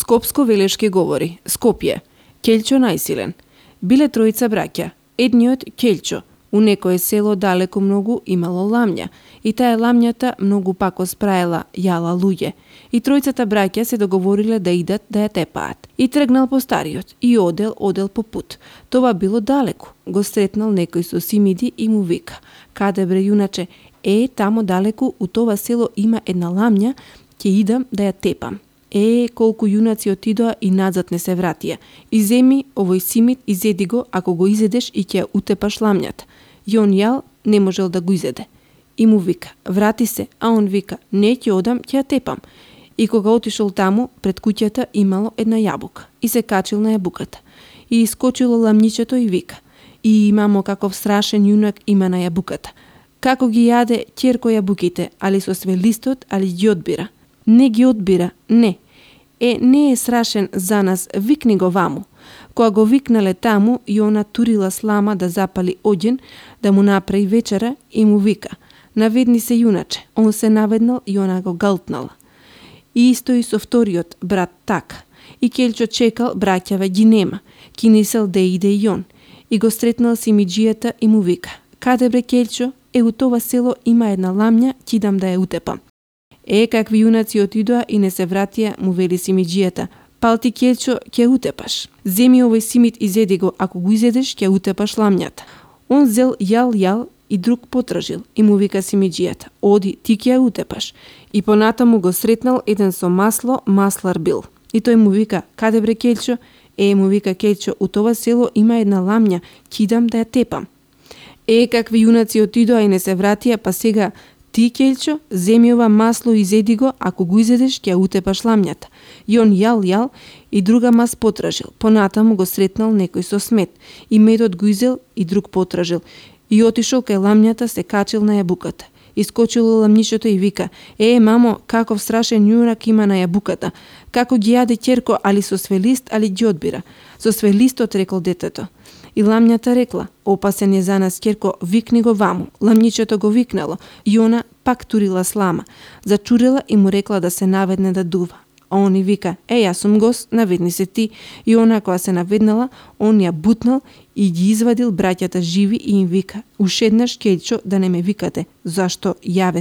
Скопско-Велешки говори, Скопје, Ќелчо најсилен. Биле тројца браќа. Едниот, Ќелчо, у некое село далеку многу имало ламња, и таа ламњата многу пако спраела, јала луѓе. И тројцата браќа се договориле да идат да ја тепаат. И тргнал по стариот, и одел по пут. Това било далеку. Го сретнал некој со симиди и му вика: "Каде бре јуначе? Тамо далеку у това село има една ламња, ќе идам да ја тепам." Колку јунаци отидоа и назад не се вратија. Иземи овој симит, изеди го, ако го изедеш и ќе ја утепаш ламњата. И он јал, не можел да го изеде. И му вика: "Врати се", а он вика: "Не, ќе одам, ќе ја тепам." И кога отишол таму, пред куќата имало една јабука. И се качил на јабуката. И искочило ламњичето и вика: "И мамо, каков страшен јунак има на јабуката. Како ги јаде ќерко јабуките, али со све листот, али ги одбира." "Не ги одбира, не." Не е страшен за нас, викни го ваму." Кога го викнале таму, и она турила слама да запали оѓен, да му направи вечера, и му вика: "Наведни се јуначе." Он се наведнал и она го галтнала. И исто и со вториот брат така. И Ќелчо чекал, браќаве ги нема. Кинисел да иде и он. И го сретнал симиџијата и му вика: "Каде бре Ќелчо? У това село има една ламња, ќе идам да ја утепам." Какви јунаци отидоа и не се вратија, му вели симиџијата: "Пал ти Ќелчо, ќе утепаш. Земи овој симит, изеди го, ако го изедеш, ќе утепаш ламњата." Он зел, јал и друг потражил и му вика симиџијата: "Оди, ти ќе ја утепаш." И понатаму го сретнал еден со масло, маслар бил. И тој му вика: "Каде бре Ќелчо?" Му вика Ќелчо: "У това село има една ламња, ќе идам да ја тепам." Какви јунаци отидоа и не се вратија, па сега: "Ти, Ќелчо, земи ова масло и изеди го, ако го изедеш, ќе ја утепаш ламњата." И он јал и друга мас потражил. Понатаму го сретнал некој со смет. И медот го изел и друг потражил. И отишол кај ламњата, се качил на јабуката. Искочило ламњичето и вика: "Мамо, каков страшен јунак има на јабуката. Како ги јаде ќерко, али со све лист, али ги одбира." "Со све листот," рекол детето. И ламњата рекла: "Опасен е за нас ќерко, викни го ваму." Ламњичето го викнало и она пак турила слама. Зачурила и му рекла да се наведне да дува. А он и вика: "Јас сум гост, наведни се ти." И она кога се наведнала, он ја бутнал и ги извадил браќата живи и им вика: "Ушеднаш, Ќелчо, да не ме викате, зашто јаве